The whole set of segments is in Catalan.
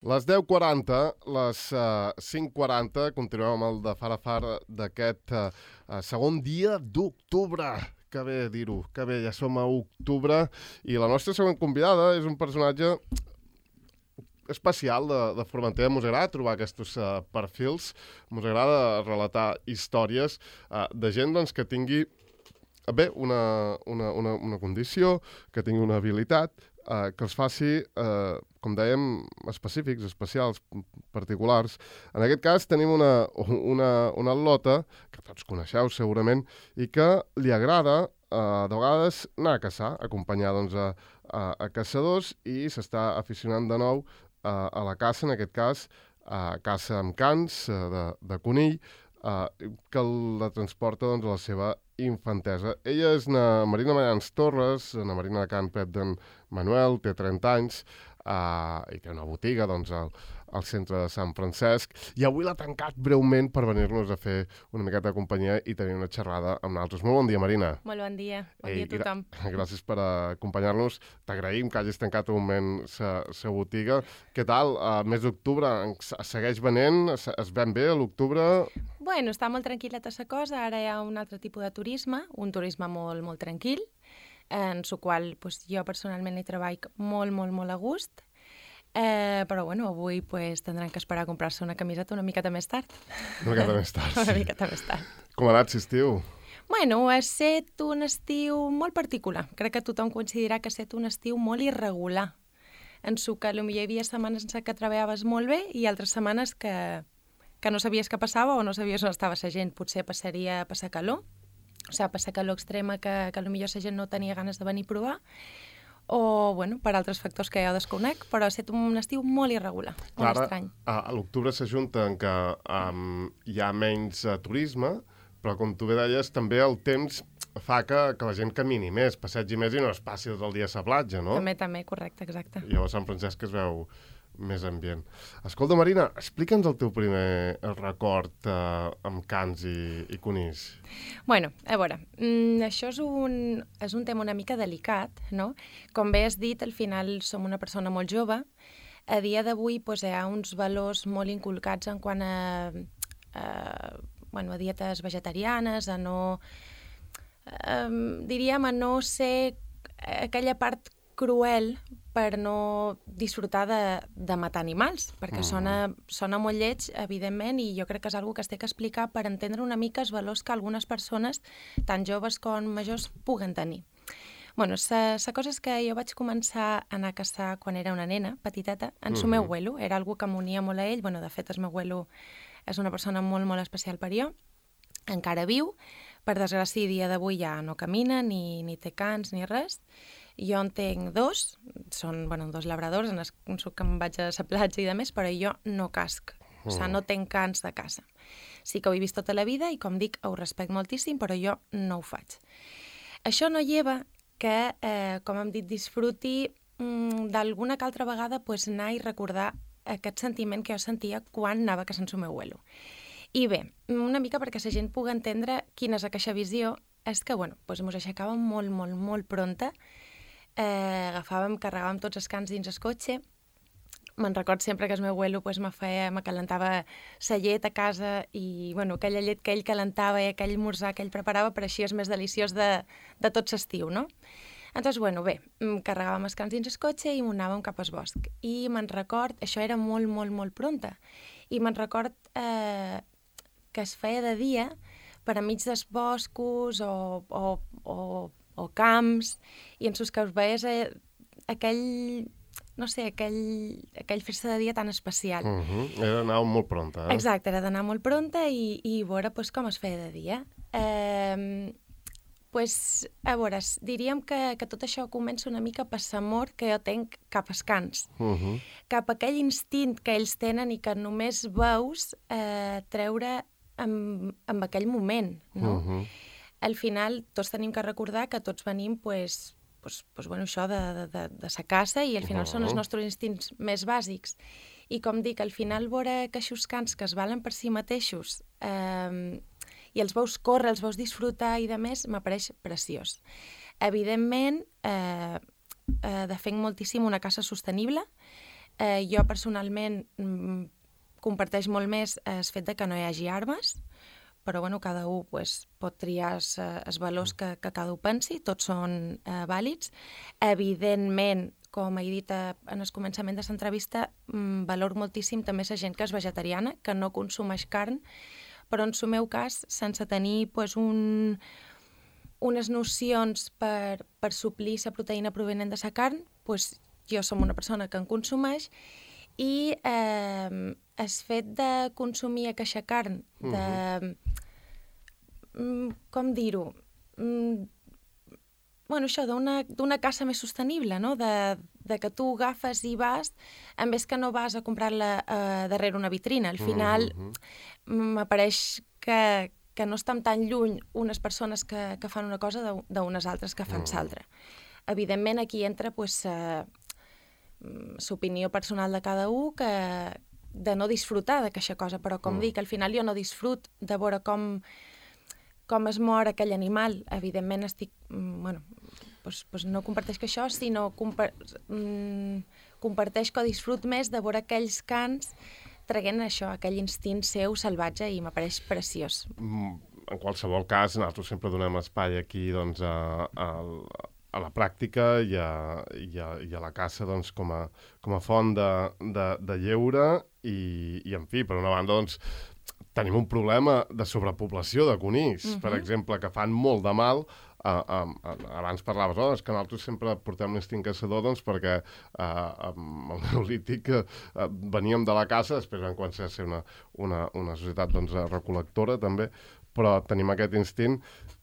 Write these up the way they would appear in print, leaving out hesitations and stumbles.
Les 10:40, les 5:40, continuem amb el de far a far d'aquest segon dia d'octubre. Que bé dir-ho, que bé, ja som a octubre i la nostra següent convidada és un personatge especial de Formentera. Mos agrada trobar aquests perfils, mos agrada relatar històries de gent doncs, que tingui bé una condició, que tingui una habilitat, que els faci, com dèiem, específics, especials, particulars. En aquest cas tenim una al·lota, que tots coneixeu segurament, i que li agrada de vegades anar a caçar, acompanyar doncs, a caçadors, i s'està aficionant de nou a la caça, en aquest cas, caça amb cans de conill, que la transporta doncs, a la seva infantesa. Ella és na Marina Mayans Torres, na Marina de Can Pep d'en Manuel, té 30 anys, i té una botiga doncs, al centre de Sant Francesc, i avui l'ha tancat breument per venir-nos a fer una miqueta de companyia i tenir una xerrada amb nosaltres. Molt bon dia, Marina. Molt bon dia a tothom. Gràcies per acompanyar-nos. T'agraïm que hagis tancat un moment la botiga. Què tal? Mes d'octubre segueix venent? Es ven bé a l'octubre? Bueno, està molt tranquil·leta la cosa. Ara hi ha un altre tipus de turisme, un turisme molt, molt tranquil, en el qual pues, jo personalment hi treballo molt, molt, molt a gust. Però bueno, avui pues, tindran que esperar a comprar-se una camiseta una miqueta més tard. Una miqueta més tard, sí. Una miqueta més tard. Com ha anat l'estiu? Bueno, ha estat un estiu molt particular. Crec que tothom coincidirà que ha estat un estiu molt irregular. En el que potser hi havia setmanes en què treballaves molt bé i altres setmanes que no sabies què passava o no sabies on estava la gent. Potser passaria a passar calor, o sigui, passar calor extrema que potser la gent no tenia ganes de venir a provar, o, bueno, per altres factors que jo desconec, però ha estat un estiu molt irregular, molt estrany. A l'octubre s'ajunta en que hi ha menys turisme, però com tu bé deies, també el temps fa que la gent camini més, passegi més i no es passi tot el dia a la platja, no? També, correcte, exacte. I a Sant Francesc es veu més ambient. Escolta, Marina, explica'ns el teu primer record amb cans i conills. Bueno, a veure, això és un tema una mica delicat, no? Com bé has dit, al final som una persona molt jove. A dia d'avui pues, hi ha uns valors molt inculcats en quant a dietes vegetarianes, a no... diríem, a no ser aquella part cruel per no disfrutar de matar animals, perquè sona molt lleig, evidentment, i jo crec que és una cosa que es té que explicar per entendre una mica els valors que algunes persones, tant joves com majors, puguen tenir. Bueno, la cosa és que jo vaig començar a anar a caçar quan era una nena, petiteta, en el meu abuelo. Era algo que m'unia molt a ell. Bueno, de fet, el meu abuelo és una persona molt, molt especial per jo. Encara viu. Per desgràcia, dia d'avui ja no camina, ni té cans, ni res. Jo en tinc dos, són dos labradors, en el que em vaig a la platja i de més, però jo no casc, o sigui, no tinc cans de caça. Sí que ho he vist tota la vida i, com dic, ho respecto moltíssim, però jo no ho faig. Això no lleva que, com hem dit, disfruti d'alguna que altra vegada anar i recordar aquest sentiment que jo sentia quan anava a caçar el meu abuelo. I bé, una mica perquè la gent pugui entendre quina és aquesta visió, és que, ens aixecàvem molt, molt, molt pronta, carregàvem tots els cans dins el cotxe. Me'n record sempre que el meu abuelo me calentava la llet a casa i aquella llet que ell calentava i aquell esmorzar que ell preparava per així és més deliciós de tot l'estiu, no? Doncs, bé, carregàvem els cans dins el cotxe i anàvem cap al bosc. I me'n record, això era molt, molt, molt pronta, i me'n record que es feia de dia per enmig dels boscos o camps, i en els que us veies aquell festa de dia tan especial. Era d'anar molt pronta, eh? Exacte, era d'anar molt pronta i veure com es feia de dia. A veure, diríem que tot això comença una mica per l'amor que jo tenc cap als cans, cap a aquell instint que ells tenen i que només veus treure en aquell moment, no? Al final, tots tenim que recordar que tots venim, això de la caça i al final són els nostres instints més bàsics. I com dic, al final veure que aquests cans que es valen per si mateixos i els veus córrer, els veus disfrutar i de més, m'apareix preciós. Evidentment, defenc moltíssim una caça sostenible, Jo personalment comparteix molt més el fet de que no hi hagi armes, però bueno, cada un pues, pot triar els valors que cada un pensi, tots són vàlids. Evidentment, com he dit en el començament de l'entrevista, valor moltíssim també la gent que és vegetariana, que no consumeix carn, però en el meu cas, sense tenir pues, unes nocions per suplir la proteïna provenent de la carn, pues, jo som una persona que en consumeix, i el fet de consumir aquesta carn, com dir-ho, bueno, això, d'una caça més sostenible, no? De que tu agafes i vas, en vez que no vas a comprar-la darrere una vitrina. Al final m'apareix que no estan tan lluny unes persones que fan una cosa d'unes altres que fan l'altra. Evidentment, aquí entra pues, l'opinió personal de cada un de no disfrutar d'aquesta cosa, però com dic, al final jo no disfrut de veure com es mor aquell animal. Evidentment estic... Bueno, pues no comparteix que això, sinó comparteix que disfrut més de veure aquells cans traient això, aquell instint seu salvatge, i m'apareix preciós. En qualsevol cas, nosaltres sempre donem espai aquí doncs, a la pràctica i a la caça doncs, com a font de lleure i en fi, per una banda, doncs, tenim un problema de sobrepoblació de conills, per exemple, que fan molt de mal. Abans parlaves, és que nosaltres sempre portem l'instint caçador doncs, perquè amb el neolític veníem de la caça, després vam començar a ser una societat doncs, recol·lectora també, però tenim aquest instint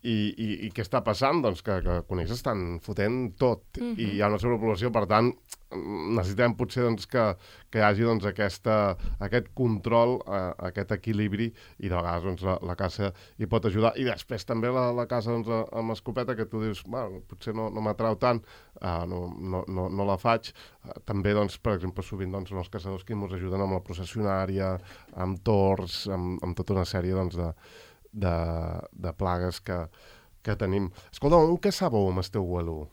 i què està passant? Doncs que conills estan fotent tot i hi ha una sobrepoblació, per tant necessitem potser doncs, que hi hagi doncs, aquest control, aquest equilibri, i de vegades doncs, la caça hi pot ajudar. I després també la caça doncs, amb escopeta, que tu dius, potser no m'atrau tant, no la faig. També, doncs, per exemple, sovint doncs, són els caçadors que ens ajuden amb la processionària, amb tords, amb tota una sèrie doncs, de plagues que tenim. Escolta, on caçàveu amb el teu abuelo?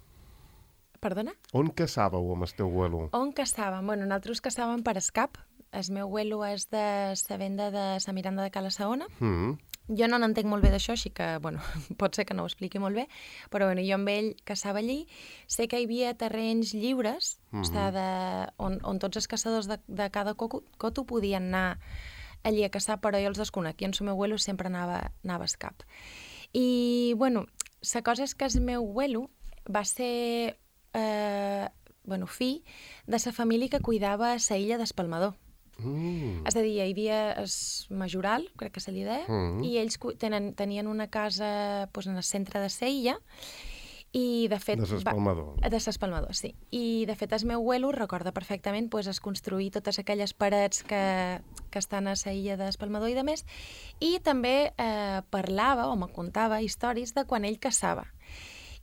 Perdona? On caçàveu amb el teu abuelo? On caçàvem? Bueno, nosaltres caçàvem per escap. El meu abuelo és de la venda de la Miranda de Cala Saona. Jo no n'entenc molt bé d'això, així que, bueno, pot ser que no ho expliqui molt bé, però bueno, jo amb ell caçava allí. Sé que hi havia terrenys lliures, on tots els caçadors de cada coto podien anar allí a caçar, però jo els desconec. I en el meu abuelo sempre anava a escap. I, bueno, la cosa és que el meu abuelo va ser fill de la família que cuidava la illa d'Espalmador. És a dir, hi havia el majoral, crec que se li deia, i ells tenien una casa en el centre de la illa, i de fet... De l'Espalmador. De l'Espalmador, sí. I de fet el meu abuelo recorda perfectament es construir totes aquelles parets que estan a la illa d'Espalmador i de més, i també parlava o me contava històries de quan ell caçava.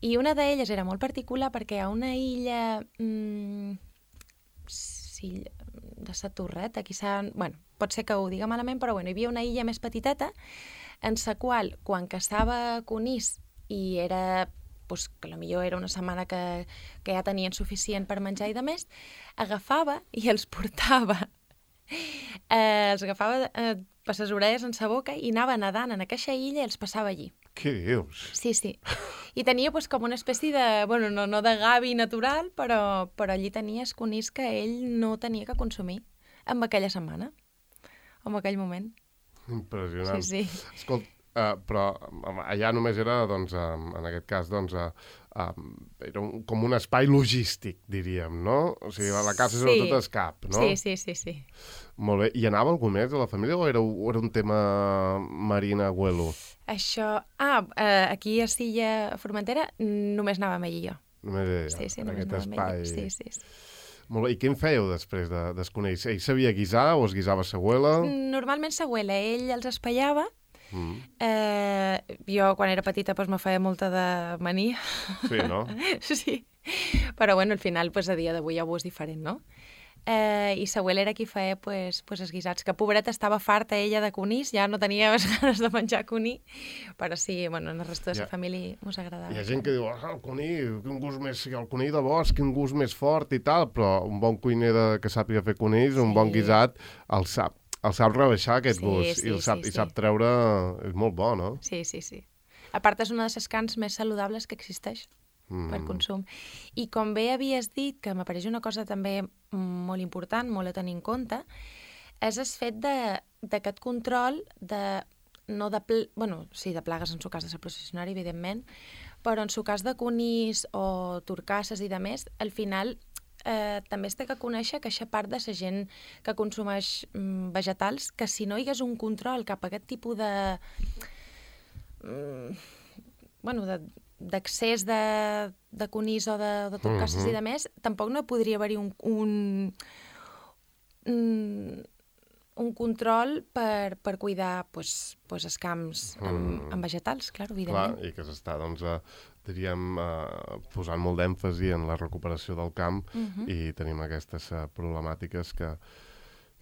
I una d'elles era molt particular perquè hi ha una illa de la Torreta, bueno, pot ser que ho diga malament, però bueno, hi havia una illa més petiteta en la qual, quan caçava conills i era, pues, que potser era una setmana que ja tenien suficient per menjar i de més, agafava i els portava per les orelles en la boca i anava nedant en aquesta illa i els passava allí. Què dius? Sí. I tenia com una espècie de, bueno, no de gavi natural, però allí tenia els conills que ell no tenia que consumir en aquella setmana, en aquell moment. Impressionant. Sí. Escolta, però allà només era, doncs, en aquest cas, doncs, era com un espai logístic, diríem, no? O sigui, la casa és tot escap, no? Sí. Molt bé. I anava algú més a la família o era un tema Marina Abuelo? Això... aquí a Silla Formentera només anàvem ell i jo. Només ella, sí, només anàvem ell. Sí. Molt bé. I què en fèieu després dels conills? Ell sabia guisar o es guisava sa abuela? Normalment sa abuela. Ell els espaiava. Jo, quan era petita, me feia molta de mania. Sí, no? Sí. Però, bueno, al final, a dia d'avui ja ho és diferent, no? I l'Abuela era qui feia pues, els guisats, que pobreta estava farta ella de conills, ja no tenia més ganes de menjar conill, però sí, bueno, el resto de la família mos agradava. Hi ha gent que diu, el conill, quin gust més, el conill de bosc, quin gust més fort i tal, però un bon cuiner que sàpiga fer conills, un bon guisat, el sap rebaixar aquest gust i sap treure... És molt bo, no? Sí. A part, és una de les carns més saludables que existeix per consum. I com bé havies dit, que m'apareix una cosa també molt important, molt a tenir en compte, és el fet d'aquest control de plagues en su cas de la processionària, evidentment, però en su cas de conills o turcasses i de més, al final també es té que conèixer que aquesta part de la gent que consumeix vegetals, que si no hi hagués un control cap a aquest tipus d'accés de conills o de turcasses i de més, tampoc no podria haver-hi un control per cuidar els camps amb vegetals, clar, evidentment. Clar, i que s'està, doncs, diríem, posant molt d'èmfasi en la recuperació del camp i tenim aquestes problemàtiques que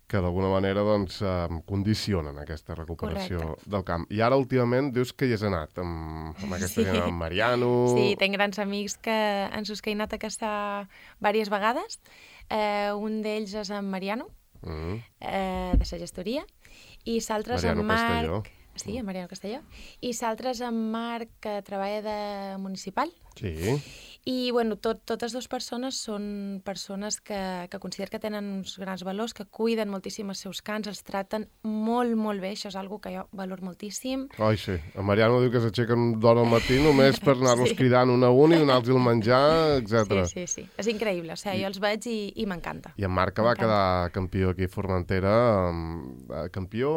d'alguna manera doncs, condicionen aquesta recuperació del camp. I ara, últimament, dius que hi has anat amb aquesta gent, amb Mariano... Sí, tinc grans amics en sus que he anat a caçar diverses vegades. Un d'ells és en Mariano, de la gestoria, i l'altre és en Marc... Castelló. Sí, en Mariano Castelló. I l'altre és en Marc, que treballa de municipal. Sí. I, bueno, totes dues persones són persones que considero que tenen uns grans valors, que cuiden moltíssim els seus cans, els traten molt, molt bé. Això és una que jo valoro moltíssim. Ai, sí. En Mariano diu que s'aixequen d'hora al matí només per anar-los cridant un a un i donar-los el menjar, etc. Sí. És increïble. O sigui, jo els veig i m'encanta. I en Marc, que va quedar campió aquí a Formentera, campió,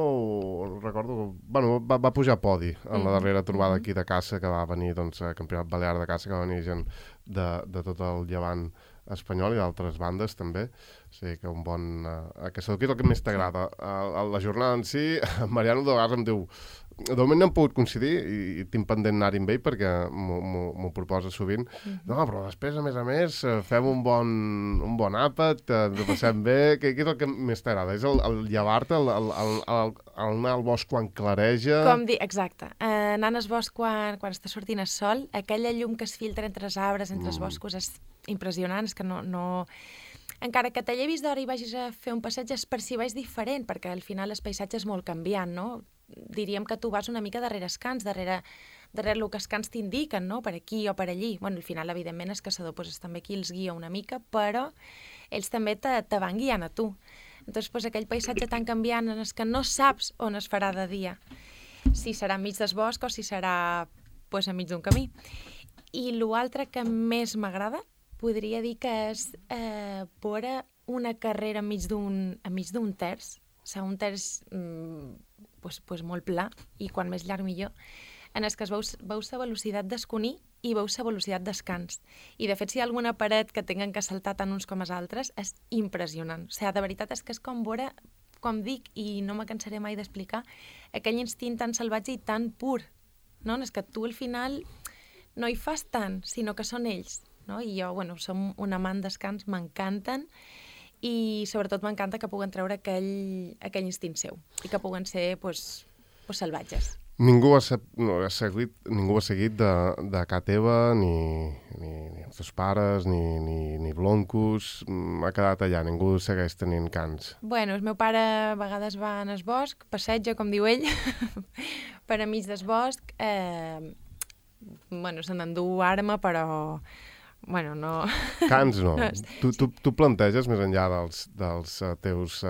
recordo... Bueno, va pujar a podi en la darrera trobada aquí de caça, que va venir, doncs, Campionat Balear de Caça, que va venir gent de tot el llevant espanyol i d'altres bandes també. O sigui que un bon... caçador, què és el que més t'agrada? La jornada en si, Mariano de vegades em diu... De moment no hem pogut coincidir i tinc pendent anar-hi amb ell perquè m'ho proposa sovint. No, però després, a més, fem un bon àpat, ens ho passem bé. Què és el que més t'agrada? És el llevar-te, el anar al bosc quan clareja? Exacte. Anant al bosc quan està sortint el sol, aquella llum que es filtra entre els arbres, entre els boscos, és impressionant, és que no... Encara que te llevis d'hora i vagis a fer un passeig, es percibeix diferent, perquè al final el paisatge és molt canviant, no? Diríem que tu vas una mica darrere els cans, darrere el que els cans t'indiquen, no? Per aquí o per allí. Bueno, al final, evidentment, el caçador és també qui els guia una mica, però ells també te van guiant a tu. Doncs aquell paisatge tan canviant en el que no saps on es farà de dia, si serà enmig del bosc o si serà enmig d'un camí. I l'altre que més m'agrada, podria dir que és veure una carrera enmig d'un terç, o sigui, un terç molt pla, i quan més llarg millor, en el que veus la velocitat del conill i veus la velocitat dels cans. I, de fet, si hi ha alguna paret que tenen que saltar tant uns com els altres, és impressionant. O sigui, de veritat és que és com veure, com dic, i no me cansaré mai d'explicar, aquell instint tan salvatge i tan pur, no? És que tu, al final, no hi fas tant, sinó que són ells. No? I jo, som un amant dels cans, m'encanten, i sobretot m'encanta que puguen treure aquell instint seu i que puguen ser salvatges. Ningú ha seguit de ca teva, ni els teus pares, ni Bloncus, ha quedat allà, ningú segueix tenint cans. Bueno, el meu pare a vegades va en el bosc, passeja, com diu ell, per enmig del bosc, se n'endú arma, però... Bueno, no... Cans no. Tu planteges, més enllà dels teus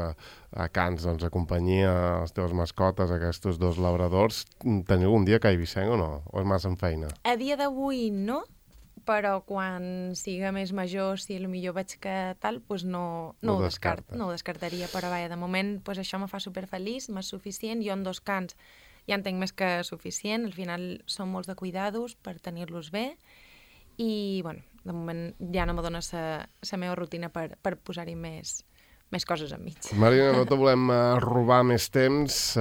cans, doncs, a companyia, les teves mascotes, aquests dos labradors, teniu un dia que a Eivissenc o no? O és massa en feina? A dia d'avui no, però quan siga més major, si potser veig que tal, no ho descartaria, però vaja, de moment això me fa superfeliç, m'és suficient, jo en 2 cans ja en tinc més que suficient, al final són molts de cuidados per tenir-los bé, i, de moment ja no me dona la meva rutina per posar-hi més coses enmig. Marina, no te volem robar més temps,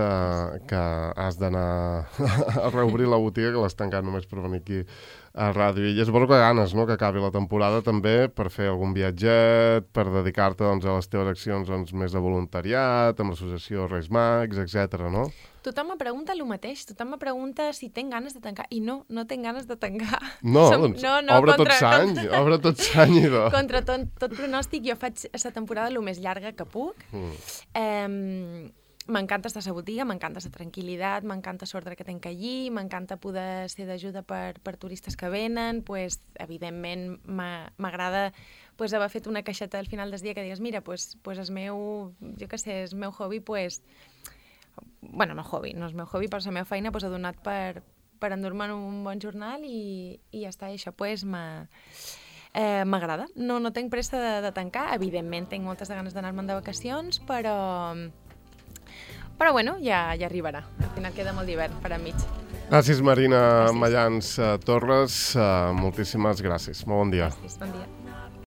que has d'anar a reobrir la botiga, que l'has tancat només per venir aquí a ràdio. I suposo que ganes, no?, que acabi la temporada també per fer algun viatget, per dedicar-te doncs, a les teves accions doncs, més de voluntariat, amb l'associació Reis Mags, etc. no? Tothom me pregunta el mateix, tothom me pregunta si tenc ganes de tancar, i no tinc ganes de tancar. No, doncs obre tot s'any, idò. Contra tot pronòstic, jo faig la temporada el més llarga que puc. M'encanta estar a la botiga, m'encanta la tranquil·litat, m'encanta l'ordre que tenc allí, m'encanta poder ser d'ajuda per turistes que venen, pues, evidentment m'agrada pues, haver fet una caixeta al final del dia que digues, mira, pues el meu, jo què sé, el meu hobby, pues, bueno, no hobby, no és el meu hobby, però la meva feina pues, ha donat per endur-me'n un bon jornal i ja està, i això pues, m'agrada. No tinc pressa de tancar, evidentment tinc moltes ganes d'anar-me'n de vacacions, però bueno, ja arribarà. Al final queda molt d'hivern per enmig. Gràcies, Marina Mayans Torres. Moltíssimes gràcies. Molt bon dia. Gràcies, bon dia.